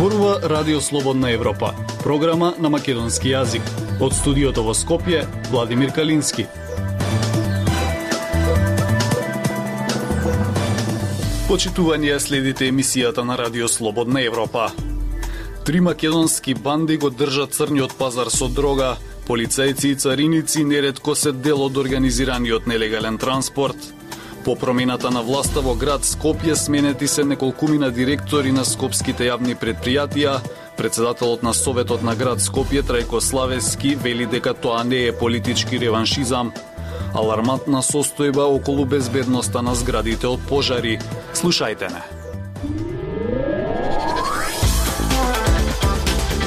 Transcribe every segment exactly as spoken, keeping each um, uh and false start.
Зборува Радио Слободна Европа, програма на македонски јазик. Од студиото во Скопје, Владимир Калински. Почитување, следите емисијата на Радио Слободна Европа. Три македонски банди го држат црниот пазар со дрога, полицајци и цариници неретко се дел од организираниот нелегален транспорт. По промената на власта во град Скопје сменети се неколкумина директори на скопските јавни предпријатија. Председателот на Советот на град Скопје Трајко Славески вели дека тоа не е политички реваншизам. Алармантна состојба околу безбедноста на зградите од пожари. Слушајте не.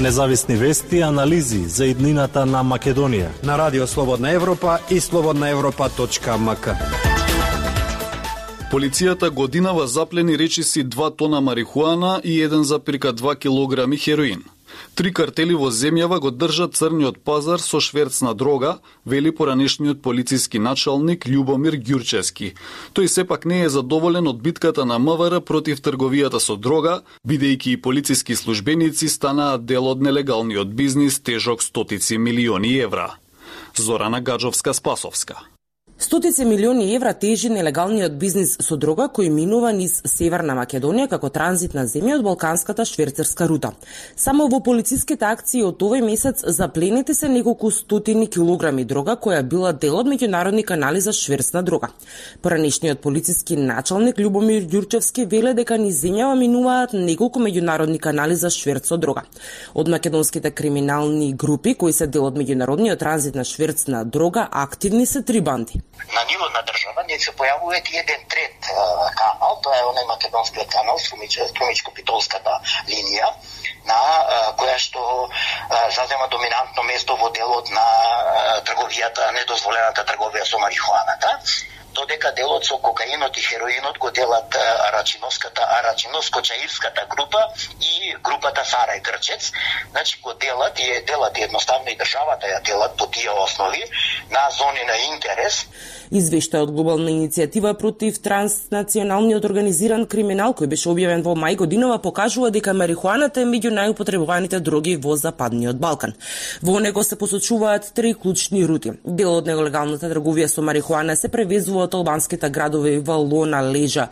Независни вести и анализи за иднината на Македонија на Радио Слободна Европа и слободна европа точка ем ка. Полицијата годинава заплени речиси два тона марихуана и еден запирка два килограми хероин. Три картели во земјава го држат црниот пазар со шверц на дрога, вели поранешниот полициски началник Љубомир Ѓурчевски. Тој сепак не е задоволен од битката на МВР против трговијата со дрога, бидејќи и полициски службеници станаат дел од нелегалниот бизнис тежок стотици милиони евра. Зорана Гаджовска-Спасовска. Стотици милиони евра тежи нелегалниот бизнис со дрога кој минува низ Северна Македонија како транзитна земја од балканската шверцерска рута. Само во полициските акции од овој месец запленети се неколку стотини килограми дрога која била дел од меѓународни канали за шверц на дрога. Поранешниот полициски началник Љубомир Ѓурчевски веле дека низ земјава минуваат неколку меѓународни канали за шверц со дрога. Од македонските криминални групи кои се дел од меѓународниот транзит на шверц на дрога активни се три банди. На ниво на држава не се појавува еден трет канал, тоа е онај македонскиот канал, Струмичко-Питолската линија, на која што зазема доминантно место во делот на трговијата, недозволената трговија со марихуаната, додека делот со кокаинот и хероинот го делат Арачиновската, Арачиновско-Чаирската група и групата Сарај Грчец. Значи го делат и делат едноставно и државата ја делат по тие основи на зони на интерес. Извештај од глобална иницијатива против транснационалниот организиран криминал кој беше објавен во мај годинава покажува дека марихуаната е меѓу најупотребуваните дроги во Западниот Балкан. Во него се посочуваат три клучни рути. Дел од нелегалната трговија со марихуана се превезува од албанските градови Валона, Лежа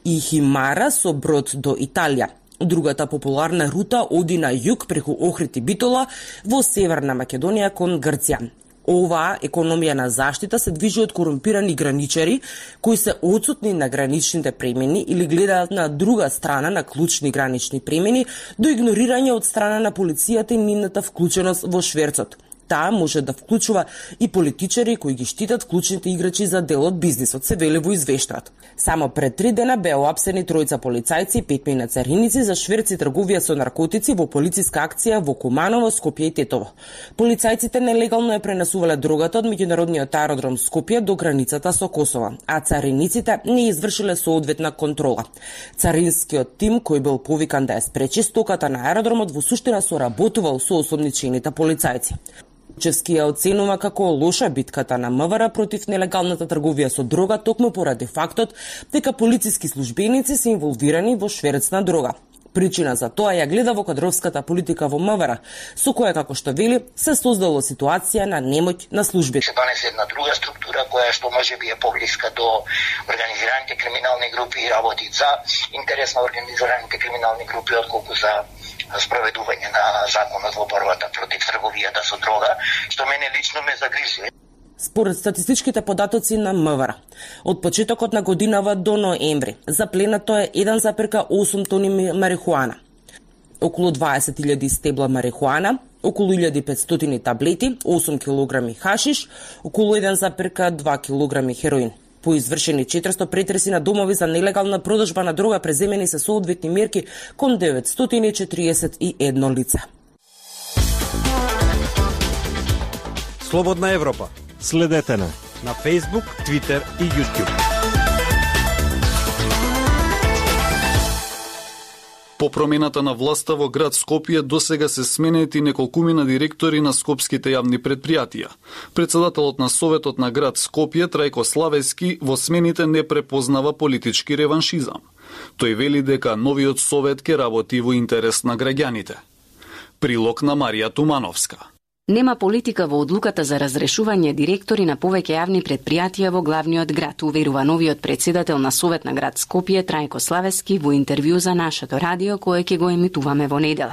и Химара со брод до Италија. Другата популарна рута оди на југ преку Охрид и Битола во Северна Македонија кон Грција. Оваа економија на заштита се движи од корумпирани граничари кои се отсутни на граничните премини или гледаат на друга страна на клучни гранични премини до игнорирање од страна на полицијата и нивната вклученост во шверцот. Таа може да вклучува и политичари кои ги штитат клучните играчи за дел од бизнисот, се вели во извештајот. Само пред три дена беа оапсени тројца полицајци и петмина цариници за шверц и трговија со наркотици во полициска акција во Куманово, Скопје и Тетово. Полицајците нелегално ја пренесувале дрогата од меѓународниот аеродром Скопје до границата со Косово, а цариниците не извршиле соодветна контрола. Царинскиот тим кој бил повикан да ја спречи стоката на аеродромот во суштина соработувал со осомничените полицајци. Ѓурчевски ја оценува како лоша битката на МВР против нелегалната трговија со дрога токму поради фактот дека полициски службеници се инволвирани во шверц на дрога. Причина за тоа ја гледа во кадровската политика во МВР, со која, како што вели, се создало ситуација на немоќ на службите. Се донесе една друга структура која што можеби е поблиска до организираните криминални групи и работи за интерес на организираните криминални групи отколку за спроведување на законот во борбата против трговијата со дрога, што мене лично ме загрижува. Според статистичките податоци на МВР, од почетокот на годинава до ноември, запленато е еден запирка осум тони марихуана, околу дваесет илјади стебла марихуана, околу илјада и петстотини таблети, осум килограми хашиш, околу еден запирка два килограми хероин. По извршени четиристо претреси на домови за нелегална продажба на дрога преземени се соодветни мерки кон деветстотини четириесет и едно лице. Слободна Европа. Следете на на Facebook, Twitter и YouTube. По промената на власта во град Скопје досега се сменети неколкумина директори на скопските јавни предпријатија. Председателот на Советот на град Скопје Трајко Славески во смените не препознава политички реваншизам. Тој вели дека новиот совет ќе работи во интерес на граѓаните. Прилог на Марија Тумановска. Нема политика во одлуката за разрешување директори на повеќе јавни предпријатија во главниот град, уверува новиот претседател на Совет на град Скопје Трајко Славески во интервју за нашето радио кое ќе го емитуваме во недела.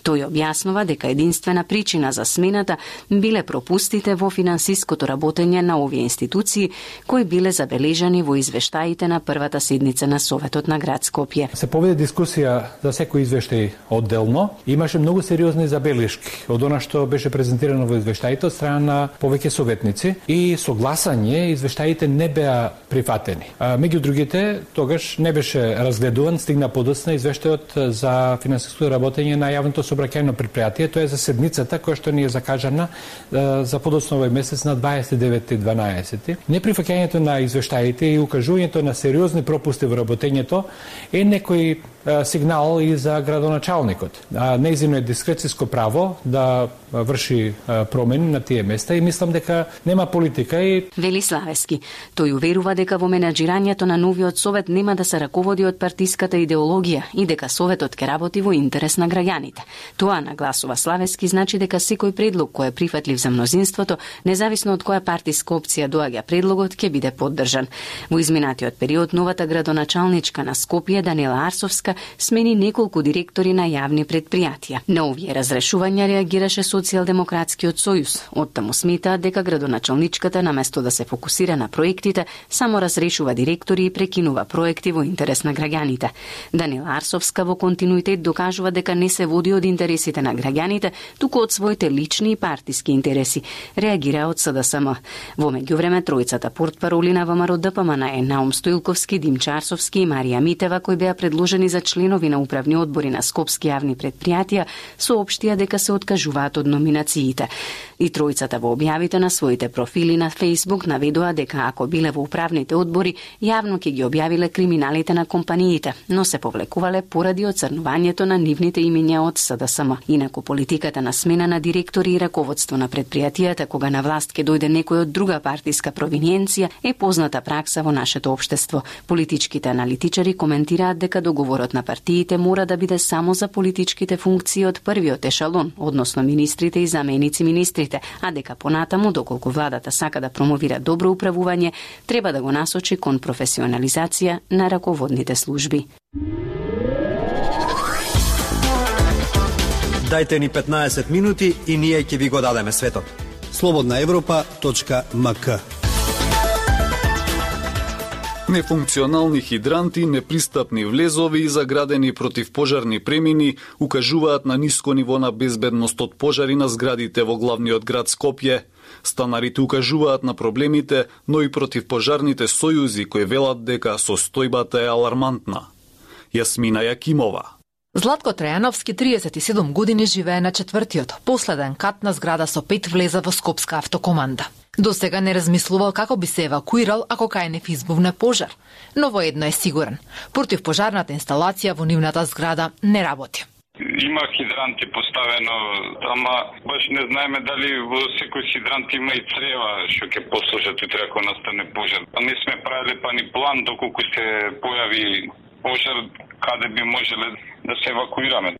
Тој објаснува дека единствена причина за смената биле пропустите во финансиското работење на овие институции кои биле забележани во извештаите на првата седница на Советот на град Скопје. Се поведе дискусија за секој извештај одделно. Имаше многу сериозни забелешки од она што беше презентирано во извештаите од страна на повеќе советници и со гласање извештаите не беа прифатени. А, меѓу другите, тогаш не беше разгледуван, стигна подоцна извештајот за финансиското работење на јавното сообраќајно предпријатие, тоа е за седницата која што ни е закажана а, за подоцна овој месец на дваесет и девети дванаесети. Неприфаќањето на извештаите и укажувањето на сериозни пропусти во работењето е некој а, сигнал и за градоначалникот. А, нејзино е дискрециско право да врши промени на тие места и мислам дека нема политика и вели Славески. Тој уверува дека во менаџирањето на новиот совет нема да се раководи од партиската идеологија и дека советот ќе работи во интерес на граѓаните. Тоа, нагласува Славески, значи дека секој предлог кој е прифатлив за мнозинството, независно од која партиска опција доаѓа предлогот, ќе биде поддржан. Во изминатиот период новата градоначалничка на Скопје Данила Арсовска смени неколку директори на јавни предпријатија. На овие разрешувања реагираше Социјалдемократскиот сојуз. Оттаму сметаат дека градоначалничката наместо да се фокусира на проектите, само разрешува директори и прекинува проекти во интерес на граѓаните. Данила Арсовска во континуитет докажува дека не се води од интересите на граѓаните, туку од своите лични и партиски интереси. Реагира од СДСМ. Во меѓувреме тројцата портпароли на ВМРО Д П М Н е Наум Стоилковски, Димчо Арсовски и Марија Митева, кои беа предложени за членови на управни одбори на скопски јавни предпријатија, соопштија дека се откажуваат од номинациите. И тројцата во објавите на своите профили на Facebook наведоа дека ако биле во управните одбори, јавно ќе ги објавиле криминалите на компаниите, но се повлекувале поради оцрнувањето на нивните имиња од СДСМ. Инаку политиката на смена на директори и раководство на предпријатијата кога на власт ќе дојде некој од друга партиска провиниенција е позната пракса во нашето општество. Политичките аналитичари коментираат дека договорот на партиите мора да биде само за политичките функции од првиот ешалон, односно министрите и заменици министрите, а дека понатаму, доколку владата сака да промовира добро управување, треба да го насочи кон професионализација на раководните служби. Дајте ни петнаесет минути и ние ќе ви го дадеме светот. слободна европа точка м к. Нефункционални хидранти, непристапни влезови и заградени противпожарни премини укажуваат на ниско ниво на безбедност од пожари на зградите во главниот град Скопје. Станарите укажуваат на проблемите, но и противпожарните сојузи кои велат дека состојбата е алармантна. Јасмина Јакимова. Златко Трајановски, триесет и седум години, живее на четвртиот, последен кат на зграда со пет влеза во Скопска автокоманда. До сега не размислувал како би се евакуирал ако кај избувне пожар, но во едно е сигурен. Противпожарната инсталација во нивната зграда не работи. Има хидранти поставено, ама баш не знаеме дали во секој хидрант има и црева што ќе послужат утре ако настане пожар. Не сме правиле па ни план доколку се појави пожар каде би можеле да се евакуираме.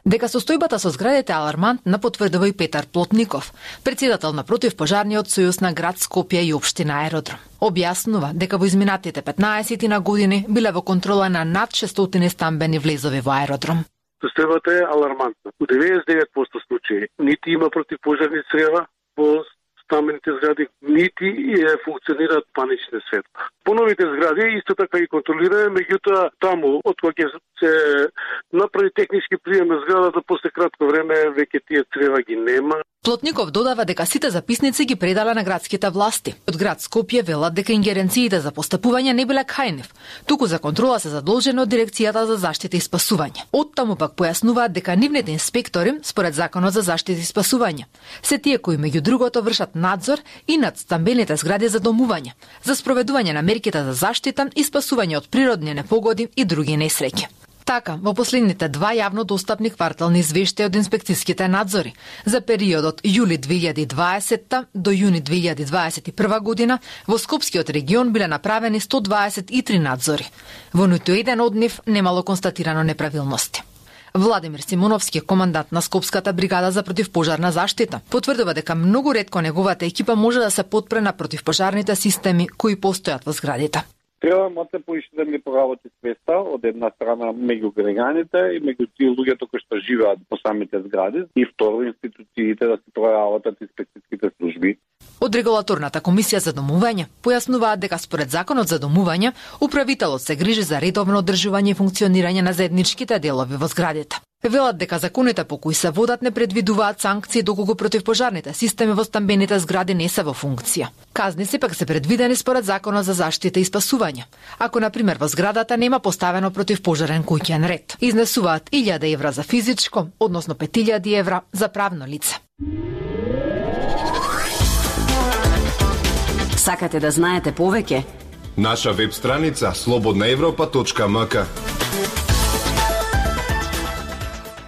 Дека состојбата со зградите алармантна потврдува и Петар Плотников, председател на противпожарниот сојуз на град Скопје и општина Аеродром. Објаснува дека во изминатите петнаесет на години биле во контрола на над шестстотини стамбени влезови во Аеродром. Состојбата е алармантна. У деветдесет и девет проценти случаи нити има противпожарни црева во стамбените згради, нити е функционираат панични светла. Поновите згради исто така и контролираме, меѓутоа таму од кога ќе се направи технички прием на зградата, после кратко време веќе тие црева ги нема. Плотников додава дека сите записници ги предала на градските власти. Од град Скопје велат дека ингеренциите за постапување не биле кај нив, туку за контрола се задолжени од Дирекцијата за заштита и спасување. Оттаму пак појаснуваат дека нивните инспектори, според Законот за заштита и спасување, се тие кои меѓу другото вршат надзор и над стамбените згради за домување, за спроведување на мерките за заштита и спасување од природни непогоди и други несреќи. Така, во последните два јавно достапни квартални извештаи од инспекцијските надзори за периодот јули две илјади и дваесетта до јуни две илјади дваесет и прва година во Скопскиот регион биле направени сто дваесет и три надзори. Во ниту еден од нив немало констатирано неправилности. Владимир Симоновски, командант на Скопската бригада за противпожарна заштита, потврдува дека многу ретко неговата екипа може да се потпре на противпожарните системи кои постојат во зградите. Треба малце поише да ми поработи свеста од една страна меѓу граѓаните и меѓу тие луѓето кои што живеат по самите згради и второ институциите да се проработат инспекцијските служби. Од регулаторната комисија за домување појаснуваат дека според законот за домување управителот се грижи за редовно одржување и функционирање на заедничките делови во зградите. Велат дека законите по кои се водат не предвидуваат санкции доколку противпожарните системи во стамбените згради не се во функција. Казни сепак се предвидени според законот за заштита и спасување. Ако на пример во зградата нема поставено противпожарен куќен ред, изнесуваат илјада евра за физичко, односно пет илјади евра за правно лице. Сакате да знаете повеќе? Наша веб страница слободна европа точка ем ка.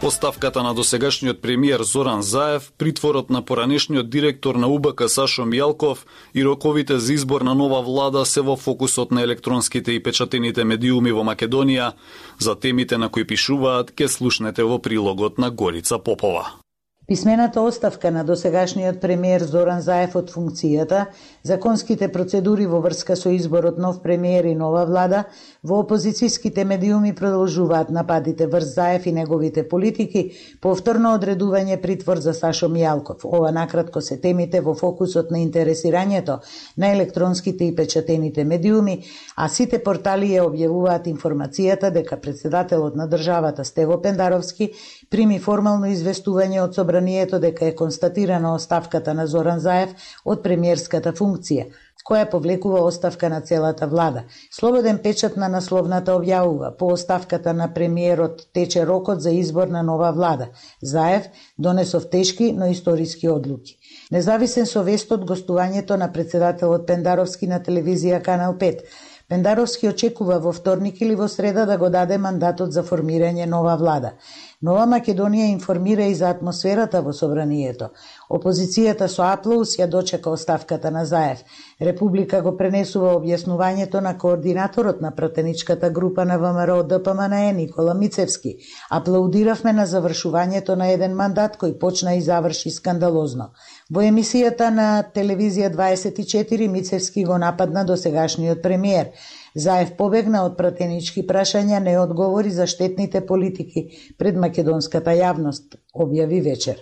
Оставката на досегашниот премиер Зоран Заев, притворот на поранешниот директор на У Б К Сашо Мијалков и роковите за избор на нова влада се во фокусот на електронските и печатените медиуми во Македонија. За темите на кои пишуваат ке слушнете во прилогот на Горица Попова. Писмената оставка на досегашниот премиер Зоран Заев од функцијата, законските процедури во врска со изборот нов премиер и нова влада, во опозицијските медиуми продолжуваат нападите врз Заев и неговите политики, повторно одредување притвор за Сашо Мијалков. Ова накратко се темите во фокусот на интересирањето на електронските и печатените медиуми, а сите портали ја објавуваат информацијата дека председателот на државата Стево Пендаровски прими формално известување од собранието дека е констатирана оставката на Зоран Заев од премиерската функција, која повлекува оставка на целата влада. Слободен печат на насловната објавува: по оставката на премиерот тече рокот за избор на нова влада. Заев донесов тешки, но историски одлуки. Независен со вест од гостувањето на председателот Пендаровски на телевизија Канал пет. Пендаровски очекува во вторник или во среда да го даде мандатот за формирање нова влада. Нова Македонија информира и за атмосферата во собранието. Опозицијата со аплауз ја дочека оставката на Заев. Република го пренесува објаснувањето на координаторот на пратеничката група на ВМРО Д П М Н Е Никола Мицевски. Аплаудиравме на завршувањето на еден мандат кој почна и заврши скандалозно. Во емисијата на телевизија дваесет и четири Мицевски го нападна досегашниот премиер. Заев побегна од пратенички прашања, не одговори за штетните политики пред македонската јавност, објави вечер.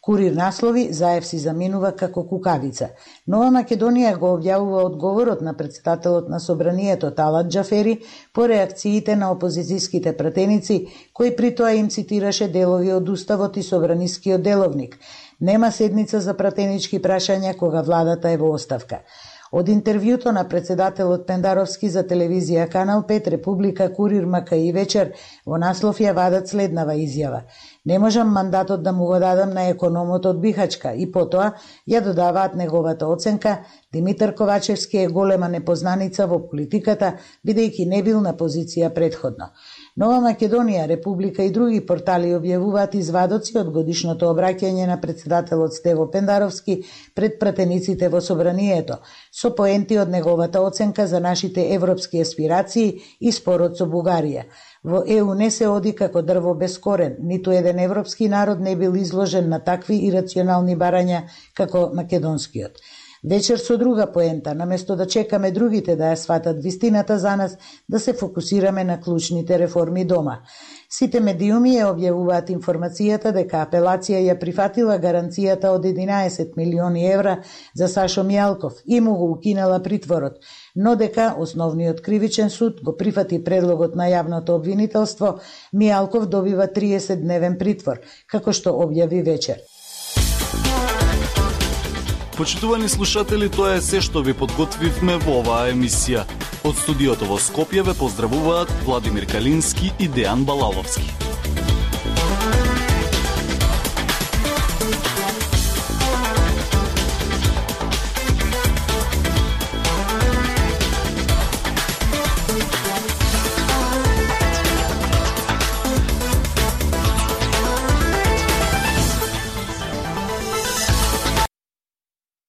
Курир наслови: Заев си заминува како кукавица. Нова Македонија го објавува одговорот на председателот на собранието Талат Џафери по реакциите на опозицијските пратеници, кој при тоа им цитираше делови од уставот и собранискиот деловник. Нема седница за пратенички прашања кога владата е во оставка. Од интервјуто на председателот Пендаровски за телевизија Канал пет, Република, Курир, Мака и Вечер во наслов ја вадат следнава изјава: не можам мандатот да му го дадам на економот од Бихачка, и потоа ја додаваат неговата оценка: Димитар Ковачевски е голема непознаница во политиката, бидејќи не бил на позиција предходно. Нова Македонија, Република и други портали објавуваат извадоци од годишното обраќање на председателот Стево Пендаровски пред пратениците во собранието, со поенти од неговата оценка за нашите европски аспирации и спорот со Бугарија. Во Е У не се оди како дрво без корен, ниту еден европски народ не бил изложен на такви ирационални барања како македонскиот. Вечер со друга поента, наместо да чекаме другите да ја сватат вистината за нас, да се фокусираме на клучните реформи дома. Сите медиуми ја објавуваат информацијата дека апелација ја прифатила гаранцијата од единаесет милиони евра за Сашо Мијалков и му го укинала притворот, но дека основниот кривичен суд го прифати предлогот на јавното обвинителство. Мијалков добива триесет дневен притвор, како што објави вечер. Почитувани слушатели, тоа е се што ви подготвивме во оваа емисија. Од студиото во Скопје ве поздравуваат Владимир Калински и Дејан Балаловски.